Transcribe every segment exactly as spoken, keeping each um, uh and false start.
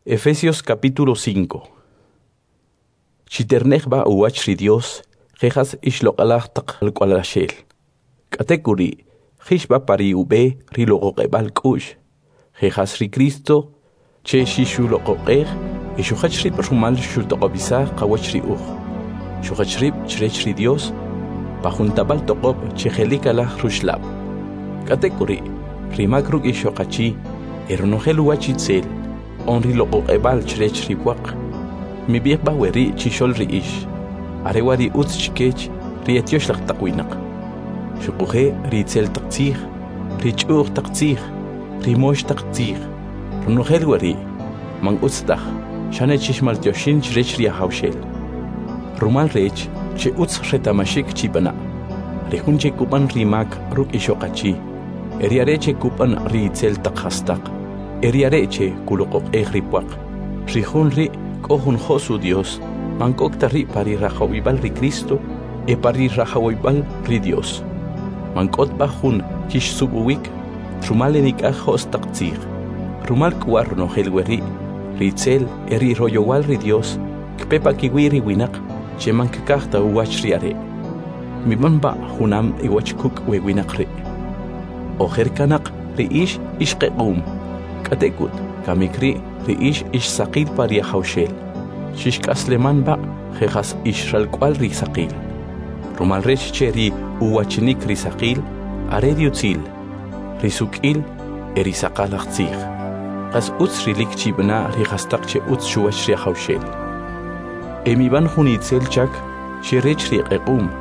Efesios capítulo cinco. Chiterne'j b'a uwach ri Dios, je' jas ix loq'alaj taq alk'wa'laxel. K'atek'uri', jix b'a pa ri ub'e ri loq'oq'eb'al k'u'x, je' jas ri Cristo che xixuloq'oq'ej e xujach rib' rumal xutoq'ob'isaj qawach ri uj. Xujach rib' chrech ri Dios pa jun tab'al toq'ob' che je'likalaj ruxlab'. K'atek'uri', ri mak ruk' ixoq achi e ronojel uwach itzel, on ri loq'oq'eb'al chrech ri pwaq. Mib'ij b'a weri' chixo'l ri ix, are wa' ri utz chikech ri etyoxlaj taq winaq. Xuquje' ri itzel taq tzij, ri ch'u'j taq tzij, ri mox taq tzij, ronojel weri' man utz taj, xane chixmaltyoxin chrech ri Ajawxel. Rumal rech che utz reta'maxik chib'ana', ri jun che kub'an ri mak ruk' ixoq achi, e ri are' che kub'an ri itzel taq jastaq, e ri are' che kuloq'oq'ej ri pwaq, ri jun ri' k'o jun jo's uDios, man k'ok ta ri' pa ri rajawib'al ri Cristo e pa ri rajawib'al ri Dios. Man k'ot b'a jun kixsub'uwik rumal enik'aj jo's taq tzij. Rumal k'u wa' ronojel weri', ri itzel e ri royowal ri Dios kpe pa kiwi' ri winaq che man kkaj ta uwach ri are'. Mib'an b'a junam iwach kuk' we winaq ri'. Ojer kanoq ri ix ix q'equm, k'atek'ut kamik ri' ri ix ix saqil pa ri Ajawxel. Xixk'asleman b'a je' jas ix ralk'wa'l ri saqil. Rumal rech che ri uwachinik ri saqil are ri utzil, ri suk'il e ri saqalaj tzij. Qas utz rilik chib'ana ri jastaq che utz chuwach ri Ajawxel. E mib'an jun itzel chak che rech ri q'equm,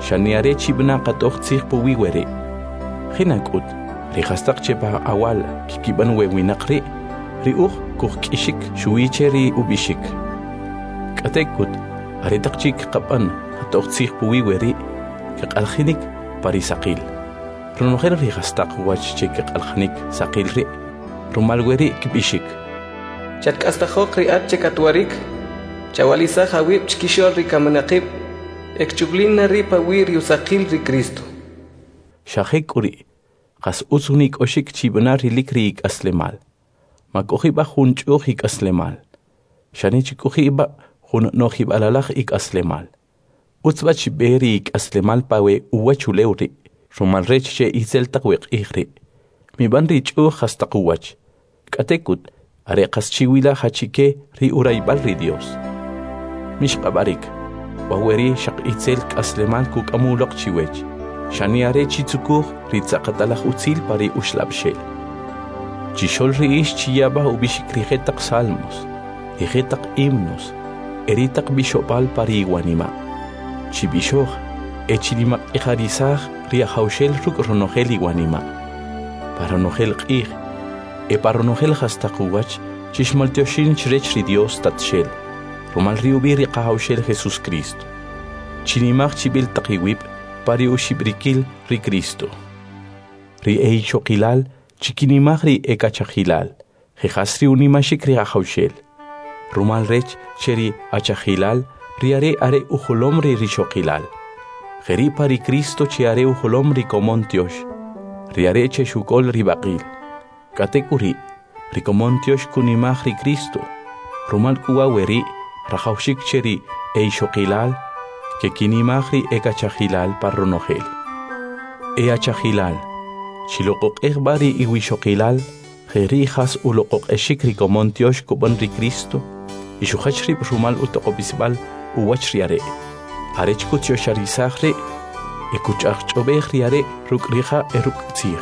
xane are chib'ana qatoj tzij puwi' weri'. Jinak'ut, ri jastaq che pa awal kkib'an we winaq ri', ri uj kujk'ixik xuwi che ri ub'ixik. K'atek'ut, aretaq chi' kqab'an qatoj tzij puwi' weri', kq'alajinik pa ri saqil. Ronojel ri jastaq wach che kq'alajinik saqil ri', rumal weri' kb'ixik. Chatk'astajoq ri at che katwarik, chawa'lisaj awib' chkixo'l ri kaminaqib', e kchuplin na ri' pawi' ri usaqil ri Cristo. Xa jek'uri', qas utz unik'oxik chib'ana rilik ri ik'aslemal. Ma k'oji' b'a jun ch'u'j ik'aslemal, xane chik'oji' b'a jun no'jib'alalaj ik'aslemal. Utz b'a chib'e ri ik'aslemal pa we uwachulew ri', rumal rech che itzel taq we q'ij ri'. Mib'an ri ch'u'j jastaq uwach, k'atek'ut are qas chiwila jachike ri urayb'al ri Dios. Mixq'ab'arik, wa weri' xaq itzel k'aslemal kuk'am uloq chiwech, xane are chitzukuj ri tz'aqatalaj utzil pa ri uxlab'xel. Chixo'l ri ix chiyab'a ub'ixik ri jetaq salmos, ri jetaq himnos, e ri taq b'ixob'al pa ri iwanima'. Chib'ixoj e chinimaq'ijarisaj ri Ajawxel ruk' ronojel iwanima'. Pa ronojel q'ij e pa ronojel jastaq uwach chixmaltyoxin chrech ri Dios Tatxel, rumal ri ub'i' ri Qajawxel Jesus Cristo. Chinimaj chib'il taq iwib' pa ri uxib'rikil ri Cristo. Ri eixoqilal chikinimaj ri ekachajilal, je' jas ri unimaxik ri Ajawxel. Rumal rech che ri achajilal, ri are' are ujolom ri rixoqilal. Jeri' pa ri Cristo che are ujolom ri komon tyox, ri are' che xuk'ol ri b'aqil. K'atek'uri', ri komon tyox kunimaj ri Cristo. Rumal k'u wa' weri' rajawxik che ri eixoqilal kekinimaj ri ekachajilal pa ronojel. E achajilal, chiloq'oq'ej b'a ri iwixoqilal, jeri' jas uloq'oq'exik ri komon tyox kub'an ri Cristo, y xujach rib' rumal utoq'ob'isb'al uwach ri are', arech kutyoxarisaj ri' e kuch'ajch'ob'ej ri are' ruk' ri ja' e ruk' tzij.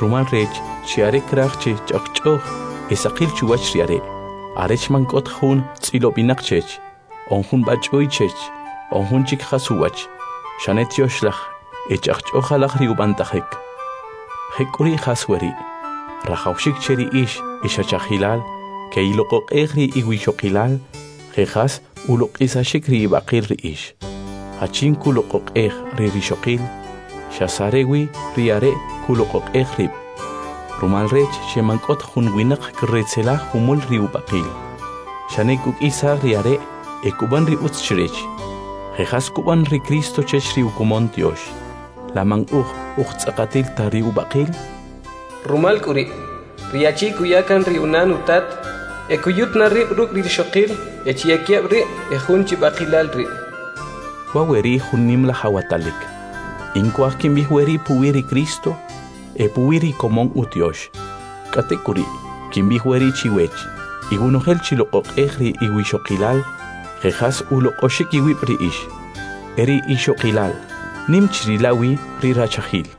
Rumal rech che are kraj che ch'ajch'oj e saqil chuwach ri are', arech man k'ot jun tz'ilob'inaq chech, on jun b'ach'uy chech, on jun chik jas uwach, xane tyoxlaj e ch'ajch'ojalaj ri ub'antajik. Jek'uri' jas weri', rajawxik che ri ix ix achajilal, keiloq'oq'ej ri iwixoqilal, je' jas uloq'isaxik ri ib'aqil ri ix. Jachin kuloq'oq'ej ri rixoqil, xas are wi ri are' kuloq'oq'ej rib'. Rumal rech che man k'ot jun winaq kretzelaj jumul ri ub'aqil, xane kuk'isaj ri are' e kub'an ri utz chrech. Je' jas kub'an ri Cristo chech ri ukomon tyox, la man uj ujtz'aqatil ta ri ub'aqil? Rumal k'uri', ri achi kuya kan ri unan utat, e kuyut na rib' ruk' ri rixoqil e chi ekeb' ri' ejun chi b'aqilal ri'. Wa' weri' jun nimalaj awatalik. In kuaj kinb'ij weri' puwi ri Cristo e puwi ri komon utiox. K'atek'uri', kinb'ij weri' chiwech: Iwonojel chiloq'oq'ej ri iwixoqilal je' jas uloq'oxik iwib' ri ix. E ri ixoqilal nim chirila wi ri rachajil.